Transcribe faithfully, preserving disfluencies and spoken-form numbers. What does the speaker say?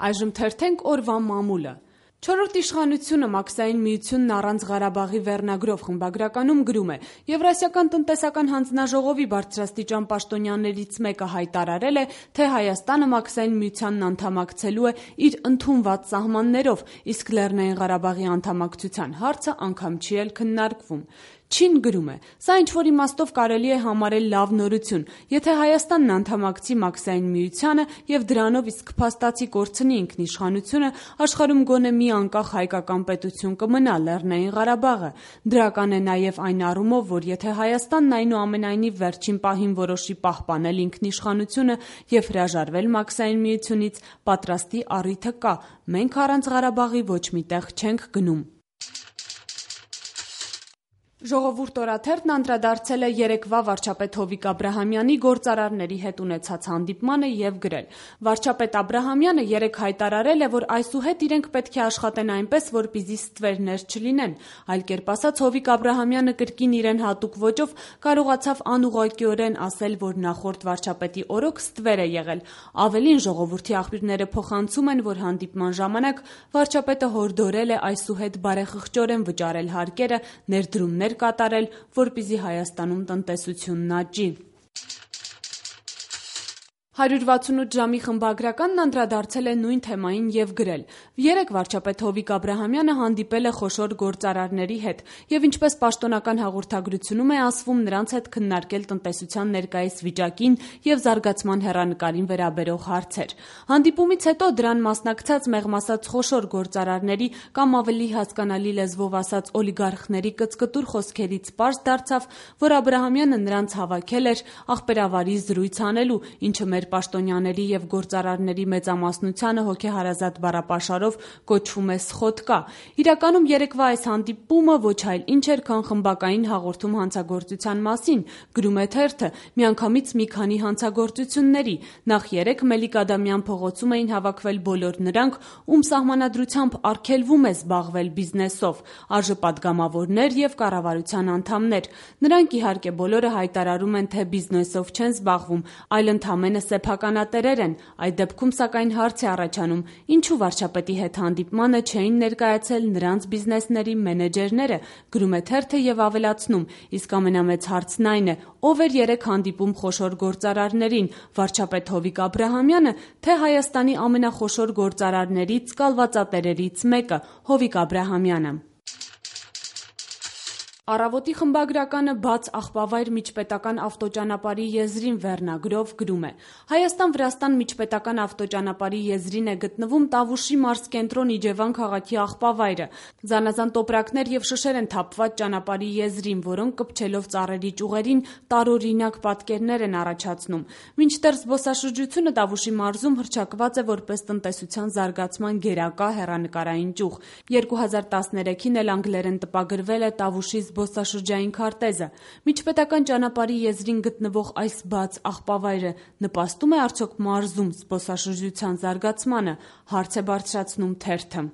Այժմ թերթենք օրվա մամուլը։ Չորրորդ իշխանությունը Մաքսային միությունն առանց Ղարաբաղի վերնագրով խմբագրականում գրում է. Եվրասիական տնտեսական հանձնաժողովի բարձրաստիճան պաշտոնյաներից մեկը հայտարարել է, թե Հայաստանը Մաքսային միությանն անդամակցելու է իր ընդունված սահմաններով, իսկ Լեռնային Ղարաբաղի անդամակցության հարցը անգամ չի էլ քննարկվում։ Չին գրում է. Սա ինչ-որ իմաստով կարելի է համարել լավ նորություն, եթե Հայաստանն անդամակցի Մաքսային միությանը և դրանով իսկ փաստացի կորցնի ինքնիշխանությունը, աշխարհում գոնե մի անկախ հայկական պետություն կմնա Լեռնային Ղարաբաղը։ Դրական է նաև այն առումով, որ եթե Հայաստանն այնուամենայնիվ վերջին պահին որոշի պահպանել ինքնիշխանությունը և հրաժարվել Մաքսային միությունից, պատրաստի առիթը կա։ Մենք առանց Ղարաբաղի ոչ մի տեղ չենք գնում։ Ժողովուրդ օրաթերթն անդրադարձել է երեկվա վարչապետ Հովիկ Աբրահամյանի գործարարների հետ ունեցած հանդիպմանը և գրել. Վարչապետ Աբրահամյանը երեկ հայտարարել է, որ այսուհետ իրենք պետք է աշխատեն այնպես, որպեսզի ստվերներ չլինեն։ Այլ կերպ ասած, Հովիկ Աբրահամյանը կրկին իրեն հատուկ ոճով կարողացավ անուղղակիորեն ասել, որ նախորդ վարչապետի օրոք ստվեր է եղել։ Ավելին, ժողովրդի աղբյուրները փոխանցում են, որ հանդիպման ժամանակ վարչապետը հորդորել է այսուհետ բարեխղճորեն վճարել հարկերը, ներդրումներ կատարել, որպեսզի Հայաստանում տնտեսությունն աճի։ հարյուր վաթսունութ ժամի խմբագրականն անդրադարձել է նույն թեմային և գրել. Երեկ վարչապետ Հովիկ Աբրահամյանը հանդիպել է խոշոր գործարարների հետ և ինչպես պաշտոնական հաղորդագրությունում է ասվում, նրանց հետ քննարկել տնտեսության ներկայիս վիճակին և զարգացման հեռանկարին վերաբերող հարցեր։ Հանդիպումից հետո դրան մասնակցած մեղմ ասած խոշոր գործարարների կամ ավելի հասկանալի լեզվով ասած օլիգարխների կծկտուր խոսքերից պարզ դարձավ, որ Աբրահամյանը նրանց հավաքել էր ախպերավարի զրույց անելու, ինչը մեր պաշտոնյաների և գործարարների մեծամասնությանը հոգեհարազատ բառապաշարով կոչվում է սխոդկա։ Իրականում երեկվա այս հանդիպումը ոչ այլ ինչ էր, քան խմբակային հաղորդում հանցագործության մասին, գրում է թերթը, միանգամից մի քանի հանցագործությունների։ Նախ երեկ Մելիք Ադամյան փողոցում էին հավաքվել բոլոր նրանք, ում սահմանադրությամբ արգելվում է զբաղվել բիզնեսով, ԱԺ-պատգամավորներ և կառավարության անդամներ։ Նրանք իհարկե բոլորը հայտարարում են, թե բիզնեսով չեն զբաղվում, այլ ընդամենը սեփականատերեր են։ Այդ դեպքում սակայն հարց է առաջանում, ինչու վարչապետի հետ հանդիպմանը չէին ներկայացել նրանց բիզնեսների մենեջերները, գրում է թերթը և ավելացնում, իսկ ամենամեծ հարցն այն է, ով էր երեկ հանդիպում խոշոր գործարարներին, վարչապետ Հովիկ Աբրահամյանը, թե Հայաստանի ամենախոշոր գործարարներից, կալվածատերերից մեկը՝ Հովիկ Աբրահամյանը։ Առավոտի խմբագրականը բաց աղբավայր միջպետական ավտոճանապարհի եզրին վերնագրով գրում է. Հայաստան-Վրաստան միջպետական ավտոճանապարհի եզրին է գտնվում Տավուշի մարզկենտրոն Իջևան քաղաքի աղբավայրը։ Զանազան տոպրակներ և շշեր են թափված ճանապարհի եզրին, որոնք կպչելով ծառերի ճյուղերին տարօրինակ պատկերներ են առաջացնում։ Մինչդեռ զբոսաշրջությունը Տավուշի մարզում հռչակված է որպես տնտեսության զարգացման գերակա հեռանկարային ճյուղ։ երկու հազար տասներեքին էլ անգլերեն տպագրվել է Տավուշի զբոսաշրջային քարտեզը։ Միջպետական ճանապարհի եզրին գտնվող այս բաց աղբավայրը նպաստում է արդյոք մարզում զբոսաշրջության զարգացմանը, հարց է բարձրացնում թերթը։